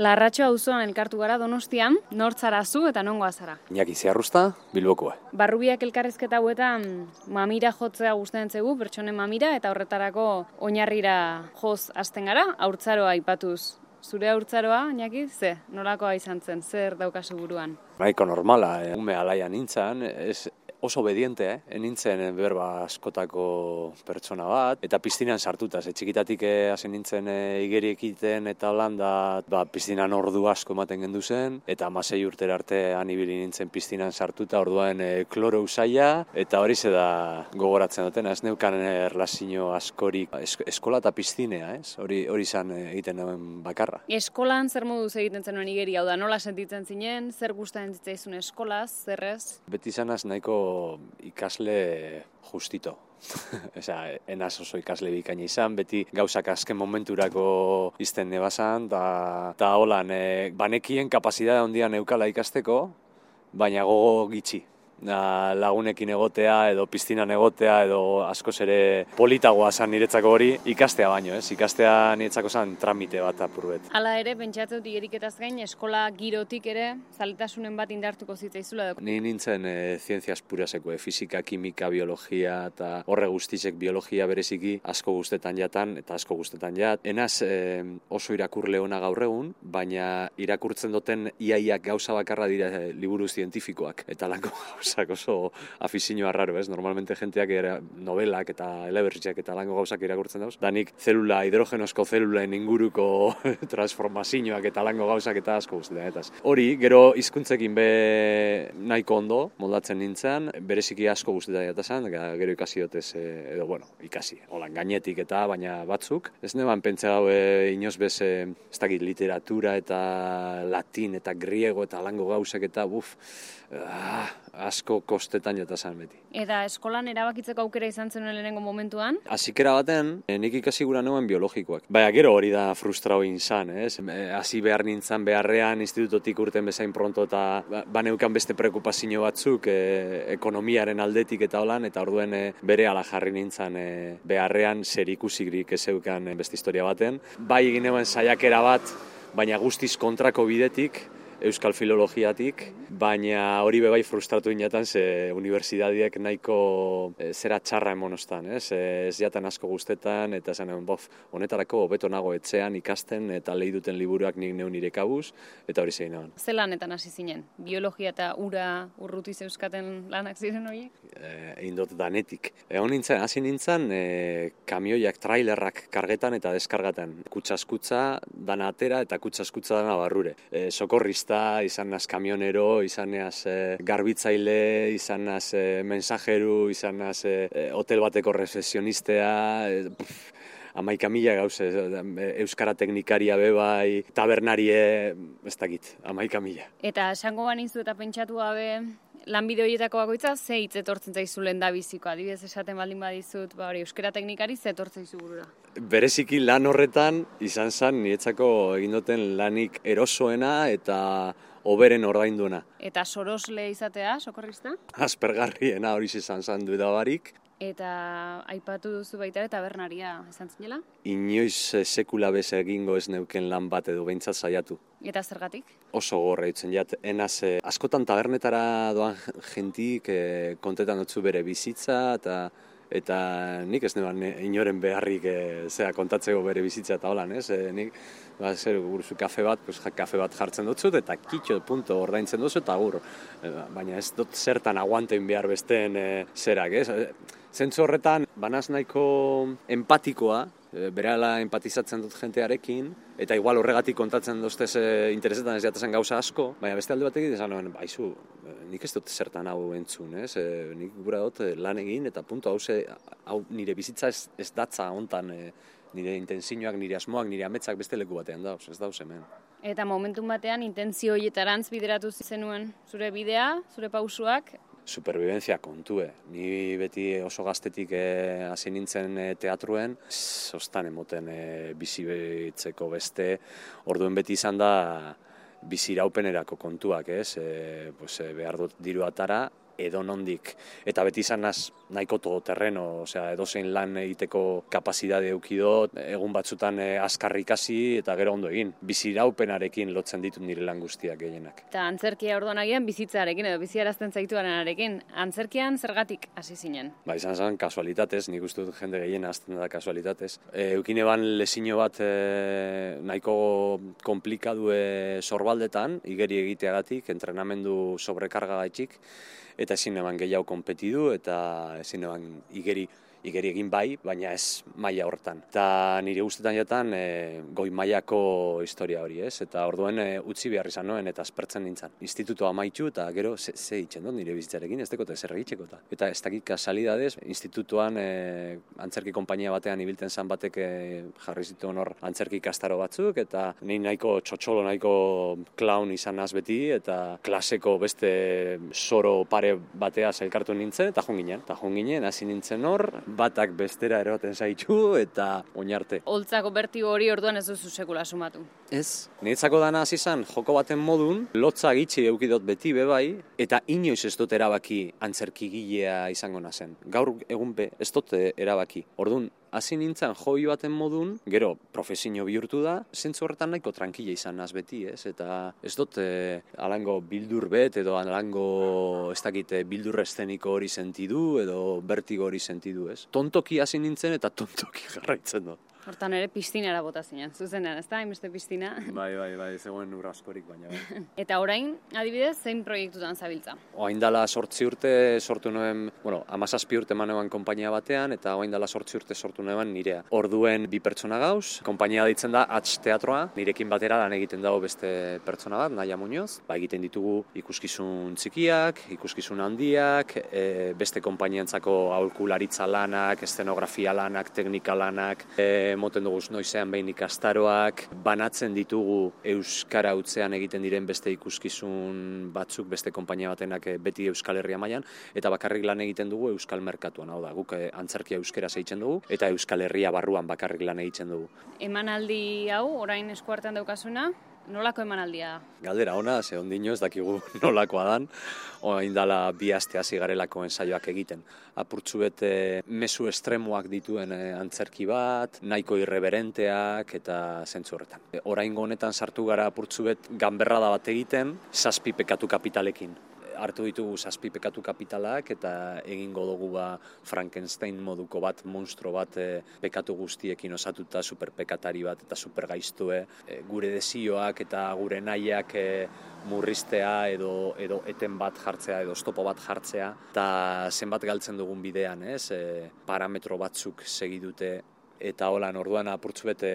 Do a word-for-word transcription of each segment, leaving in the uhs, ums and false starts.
Larratxo auzoan elkartu gara Donostian, nor zara zu eta nongoa zara? Iñaki Ziarrusta, Bilbokoa. Barrubiak elkarrizketa hauetan mamira jotzea gustatzen zaigu, pertsonen mamira, eta horretarako oinarrira joz hasten gara, haurtzaroa aipatuz. Zure haurtzaroa, Iñaki, ze? Nolakoa izan zen, zer daukazu buruan? Nahiko normala, eh? ume alaia nintzen, ez, oso obediente, eh? nintzen berba askotako pertsona bat, eta piztinan sartuta, ze txikitatik hasi nintzen e, igeri ekiten eta holanda, ba, piztinan ordu asko ematen gendu zen, eta hamasei urtera arte anibili nintzen piztinan sartuta, orduan e, kloro usaia, eta hori ze da gogoratzen duten, ez neukan erlazio askorik es, eskola eta piztinea, ez? Hori hori izan egiten duen bakarra. Eskolan zer moduz egiten zenuen igeri, hau da, nola sentitzen zinen, zer gustatzen zitzaizun eskolaz, zerrez? Beti izanaz nahiko ikasle justito. Osea, enaz oso ikasle bikaina izan, beti gauzak azken momenturako izten nebazan, eta holan, e, banekien kapazitatea handia neukala ikasteko, baina gogo gitxi. Lagunekin egotea edo piztinan egotea edo askoz ere politagoa zan niretzako hori ikastea baino, ez? Ikastea niretzako zan tramite bat apurbet. Hala ere, pentsatzen dut igeriketaz gain, eskola girotik ere zaletasunen bat indartuko zitzaizula. Ni nintzen e, zientziaz puraseko, e, fisika, kimika, biologia eta horre guztizek biologia bereziki asko guztetan jatan eta asko guztetan jat. Enaz e, oso irakurle ona gaur egun, baina irakurtzen duten iaiak gauza bakarra dira e, liburu zientifikoak eta lanko gauza oso afizioa raro, ez? Normalmente jenteak era novelak eta eleberriak eta lango gauzak irakurtzen dauz. Danik zelula, hidrogenozko zelulaen inguruko transformazioak eta lango gauzak eta asko guztetan. Eta hori, gero hizkuntzekin be nahiko ondo, moldatzen nintzen, bereziki asko guztetan eta zan, gero ikasi dotez, edo bueno, ikasi, holan gainetik eta baina batzuk. Ez neban pentsa hau e, inoz bez, e, ez dakit, literatura eta latin eta griego eta lango gauzak eta buf, ah, asko kostetan jata zan beti. Eta eskolan erabakitzeko aukera izan zenuen lehenengo momentuan? Hasiera baten, nik ikasi gura neuen biologikoak. Baina gero hori da frustrao inzan, ez? Hasi behar nintzen beharrean, institutotik urten bezain pronto eta baneukan beste preokupazio batzuk, e, ekonomiaren aldetik eta holan, eta orduen e, bere ala jarri nintzen e, beharrean zer ikusikrik ezeukan beste historia baten. Bai egin neuen saiakera bat, baina guztiz kontrako bidetik, euskal filologiatik, baina hori bebai frustratu inatan, ze unibertsitateak nahiko e, zera txarra emonostan, ez? E, ez jatan asko guztetan, eta zen, bof, honetarako hobeto nago etxean ikasten, eta lehi duten liburuak nik neun nire kabuz, eta hori zein nagoen. Ze lanetan hasi zinen? Biologia eta ura urruti zeuskaten lanak ziren horiek? E, indot danetik. Egon nintzen, hasi nintzen, e, kamioiak, trailerrak kargetan eta deskargatan. Kutsaskutza dana atera eta kutsaskutza dana barrure. E, sokorrista izan naz kamionero, izan naz e, garbitzaile, izan naz e, mensajeru, izan naz e, hotel bateko rezepzionistea, e, amaika mila gauze, euskara teknikaria bebai, tabernarie, ez dakit, amaika mila. Eta esango banizu eta pentsatu gabe, lanbide horietako bakoitza, ze hitz etortzen zaizu lehen da biziko? Adibidez esaten baldin badizut, ba hori, euskara teknikari ze etortzen zaizu burura? Bereziki lan horretan izan zen niretzako egin duten lanik erosoena eta hoberen ordainduena. Eta sorosle izatea, sokorrista? Aspergarriena hori izan zen dudabarik. Eta aipatu duzu baita eta tabernaria izan zinela? Inoiz sekula bez egingo ez neuken lan bat edo behintzat saiatu. Eta zergatik? Oso gorra itzen jat, enaz, eh, askotan tabernetara doan jentik eh, kontetan dutzu bere bizitza, eta eta nik ez neban inoren beharrik e, zera kontatzeko bere bizitza eta holan, ez? E, nik, ba, zer, guruzu kafe bat, pues, kafe bat jartzen dutzut, eta kitxo punto ordaintzen duzu, eta gur. E, baina ez dut zertan aguantein behar besteen e, zerak, ez? Zentzu horretan, banaz nahiko empatikoa, berala empatizatzen dut jentearekin, eta igual horregatik kontatzen duztez e, interesetan ez jatazen gauza asko, baina beste alde batekin esan nuen, baizu, nik ez dut zertan hau entzun, ez? E, nik gura dut lan egin, eta puntu hau, ze, hau nire bizitza ez, ez datza hontan, e, nire intentzioak, nire asmoak, nire ametsak beste leku batean dauz, ez dauz hemen. Eta momentun batean intentzio horietarantz bideratu zenuen zure bidea, zure pausuak? Supervivencia kontue. Ni beti oso gaztetik eh, hasi nintzen eh, teatruen, zostan emoten eh, bizi behitzeko beste, orduen beti izan da biziraupenerako kontuak, ez? E, pues, e, behar dut diru atara, edo nondik. Eta beti izan naz nahiko todoterreno, osea, edozein lan egiteko kapazidade eukidot, egun batzutan eh, azkar ikasi eta gero ondo egin. Biziraupenarekin lotzen ditut nire lan guztiak gehienak. Eta antzerkia orduan agian bizitzarekin edo biziarazten zaituarenarekin. Antzerkian zergatik hasi zinen? Ba, izan zen kasualitatez, nik uste dut jende gehien hasten da kasualitatez. E, eukine ban lesino bat e, nahiko komplikadue sorbaldetan, igeri egiteagatik, entrenamendu sobrekarga gaitxik, eta ezin eban gehiago konpetidu, eta ezin eban igeri igeri egin bai, baina ez maila horretan. Eta nire guztetan jatan e, goi mailako historia hori, ez? Eta orduen e, utzi behar izan noen eta aspertzen nintzen. Institutua amaitu eta gero ze, ze itxen dut nire bizitzarekin, ez dekote zer egitxeko eta. Eta ez dakit kasalidadez, institutuan e, antzerki konpainia batean ibiltzen zan batek e, jarri zituen hor antzerki ikastaro batzuk, eta ni nahiko txotxolo, nahiko clown izan naz beti, eta klaseko beste soro pare batea zailkartu nintzen, eta joan ginen. Eta joan ginen, hasi nintzen hor, batak bestera eroten zaitu eta oinarte. Holtzako bertigo hori orduan ez duzu sekula sumatu. Ez. Niretzako dana hasi izan joko baten modun, lotza gitxi eukidot beti bebai, eta inoiz ez dut erabaki antzerkigilea izango nazen. Gaur egunpe ez dut erabaki. Orduan, hasi nintzen hobby baten modun, gero profesio bihurtu da, zentzu horretan nahiko tranquila izan naz beti, ez? Eta ez dut eh, alango bildur bet, edo alango ez dakit bildur eszeniko hori sentidu, edo bertigo hori sentidu, ez? Tontoki hasi nintzen eta tontoki jarraitzen dut. Hortan ere piztinara bota zinen, zuzenean, ez da, hainbeste piztina. Bai, bai, bai, zegoen ur askorik, baina bai. Eta orain, adibidez, zein proiektutan zabiltza? Oain dala sortzi urte sortu nuen, bueno, amazazpi urte eman eban konpainia batean, eta oain dala sortzi urte sortu nuen nirea. Orduen bi pertsona gauz, konpainia ditzen da Hatz Teatroa, nirekin batera lan egiten dago beste pertsona bat, Naia Muñoz. Ba, egiten ditugu ikuskizun txikiak, ikuskizun handiak, e, beste konpainiantzako aholkularitza lanak, eszenografia lanak, teknika lanak, e, moten dugu noizean behin ikastaroak, banatzen ditugu euskara hutzean egiten diren beste ikuskizun batzuk, beste konpainia batenak beti Euskal Herria mailan, eta bakarrik lan egiten dugu Euskal Merkatuan, hau da, guk antzerkia euskera zeitzen dugu, eta Euskal Herria barruan bakarrik lan egiten dugu. Emanaldi hau, orain eskuartean daukazuna, nolako emanaldia da? Galdera ona, ze ondino ez dakigu nolakoa dan, orain dala bi aste hasi garelako ensaioak egiten. Apurtzu bete mezu estremoak dituen antzerki bat, nahiko irreberenteak eta zentzu horretan. Oraingo honetan sartu gara apurtzu bet ganberrada bat egiten, zazpi pekatu kapitalekin. Hartu ditugu zazpi pekatu kapitalak eta egingo dugu ba Frankenstein moduko bat, monstro bat e, pekatu guztiekin osatuta, superpekatari bat eta supergaiztue. E, gure desioak eta gure nahiak e, murriztea edo, edo eten bat jartzea edo stopo bat jartzea. Eta zenbat galtzen dugun bidean, ez? E, parametro batzuk segidute. Eta holan orduan apurtzu bete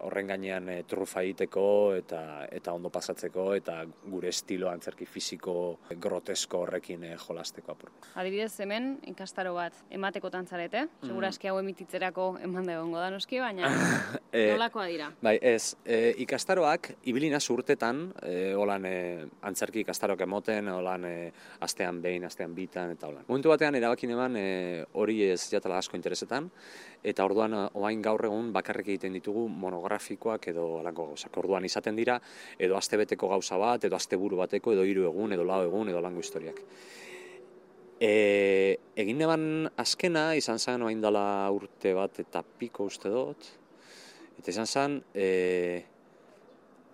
horren gainean e, trufa egiteko eta eta ondo pasatzeko eta gure estilo antzerki fisiko grotesko horrekin e, jolasteko apur. Adibidez hemen ikastaro bat emateko tantzarete, mm. Segurazki hau emititzerako eman da egongo da noski, baina e, nolakoa dira? Bai, ez, e, ikastaroak ibilina urtetan, e, holan e, antzerki ikastaroak emoten, holan e, astean behin, astean bitan eta holan. Momentu batean erabakin eman e, hori ez jatala asko interesetan, eta orduan oain gaur egun bakarrik egiten ditugu monografikoak edo alako gauzak. Orduan izaten dira, edo astebeteko gauza bat, edo asteburu bateko, edo hiru egun, edo lau egun, edo lango historiak. E, egin neban azkena, izan zen oain dela urte bat eta piko uste dut, eta izan zen, e,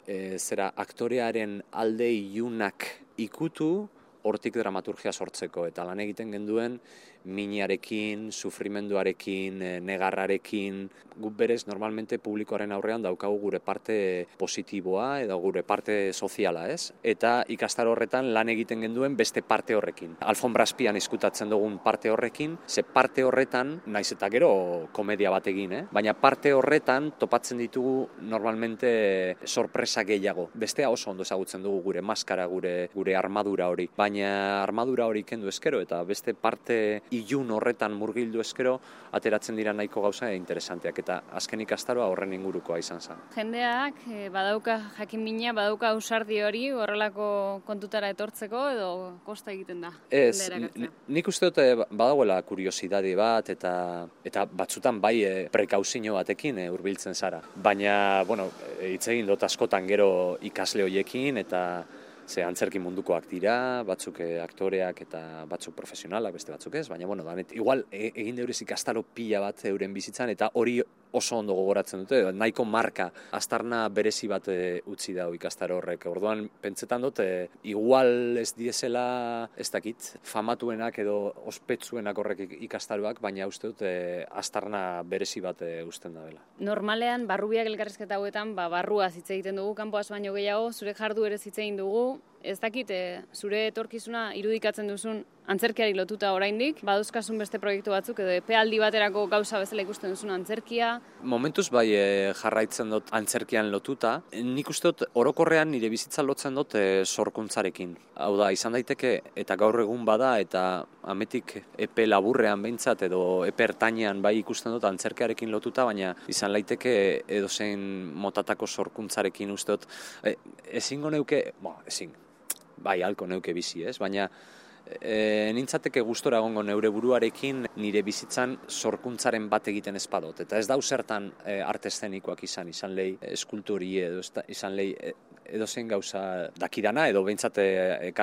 e, zera aktorearen alde ilunak ikutu, hortik dramaturgia sortzeko, eta lan egiten genduen minarekin, sufrimenduarekin, negarrarekin, guk berez normalmente publikoaren aurrean daukagu gure parte positiboa edo gure parte soziala, ez? Eta ikastaro horretan lan egiten genduen beste parte horrekin. Alfombrazpian izkutatzen dugun parte horrekin, ze parte horretan, naiz eta gero komedia bat egin, eh? Baina parte horretan topatzen ditugu normalmente sorpresa gehiago. Bestea oso ondo ezagutzen dugu gure maskara, gure gure armadura hori. Baina armadura hori kendu eskero eta beste parte ilun horretan murgildu eskero ateratzen dira nahiko gauza interesanteak eta azken ikastaroa horren ingurukoa izan zen. Jendeak eh, badauka jakin mina, badauka ausardi hori horrelako kontutara etortzeko edo kosta egiten da? Ez, nik uste dut badagoela kuriosidade bat eta eta batzutan bai e, prekauzio batekin e, hurbiltzen zara. Baina, bueno, hitz egin dut askotan gero ikasle hoiekin eta Ze antzerki mundukoak dira, batzuk aktoreak eta batzuk profesionalak, beste batzuk ez, baina, bueno, danet, igual e, egin deurez ikastaro pila bat euren bizitzan, eta hori oso ondo gogoratzen dute, nahiko marka, aztarna berezi bat e, utzi dau ikastaro horrek. Orduan, pentsetan dut, e, igual ez diezela, ez dakit, famatuenak edo ospetsuenak horrek ikastaroak, baina uste dut, e, aztarna berezi bat e, usten da dela. Normalean, barrubiak elkarrizketa hauetan, ba, barruaz hitz egiten dugu, kanpoaz baino gehiago, zure jardu ere hitz egin dugu, ez dakit, e, zure etorkizuna irudikatzen duzun antzerkiari lotuta oraindik, baduzkasun beste proiektu batzuk edo epealdi baterako gauza bezala ikusten duzun antzerkia. Momentuz bai e, jarraitzen dut antzerkian lotuta. Nik uste dut orokorrean nire bizitza lotzen dut e, sorkuntzarekin. Hau da, izan daiteke eta gaur egun bada eta ametik epe laburrean behintzat edo epe ertainean bai ikusten dut antzerkiarekin lotuta, baina izan laiteke edozein motatako sorkuntzarekin uste dut. E, ezingo neuke, bo, ezin, bai halko neuke bizi ez, baina E, nintzateke gustora egongo neure buruarekin nire bizitzan sorkuntzaren bat egiten espadot. Eta ez dau zertan e, arte eszenikoak izan, izan lehi eskulturi edo izan lehi e, edozein gauza dakidana edo behintzat e,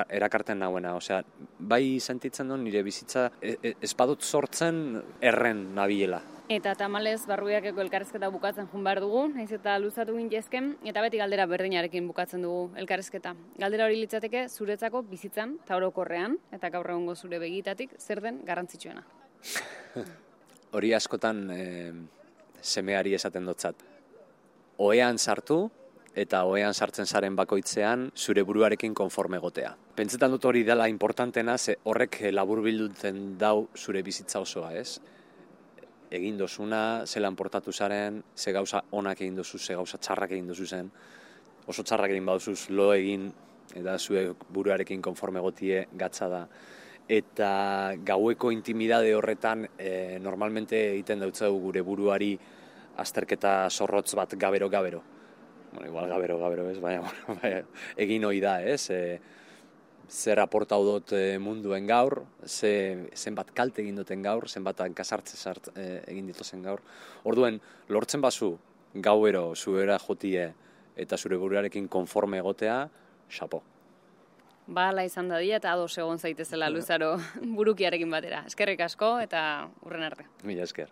erakarten nauena. Osea, bai sentitzen duen nire bizitza e, e, espadot sortzen erren nabilela. Eta tamalez barrubiakeko elkarrizketa bukatzen jun behar dugu, naiz eta luzatu gintezken, eta beti galdera berdinarekin bukatzen dugu elkarrizketa. Galdera hori litzateke zuretzako bizitzan, eta orokorrean, eta gaur egungo zure begitatik, zer den garrantzitsuena? Hori askotan e, semeari esaten dotzat. Ohean sartu, eta ohean sartzen zaren bakoitzean zure buruarekin konforme gotea. Pentsetan dut hori dela importantena, ze horrek laburbilduten dau zure bizitza osoa, ez? Egin dozuna, zelan portatu zaren, ze gauza onak egin dozu, ze gauza txarrak egin dozu zen. Oso txarrak egin baduzuz lo egin, eta zure buruarekin konforme gotie gatza da. Eta gaueko intimidade horretan e, normalmente egiten dautzau gure buruari azterketa zorrotz bat gabero-gabero. Bueno, igual gabero-gabero ez, baina bueno, egin hoi da, ez? E, zer aportau dut munduen gaur, ze, zenbat kalte egin duten gaur, zenbat kasartze zart e, egin dituzen gaur. Orduen, lortzen bazu gauero zuera jotie eta zure buruarekin konforme egotea, xapo. Ba, ala izan dadia eta ados egon zaitezela luzaro burukiarekin batera. Eskerrik asko eta hurren arte. Mila esker.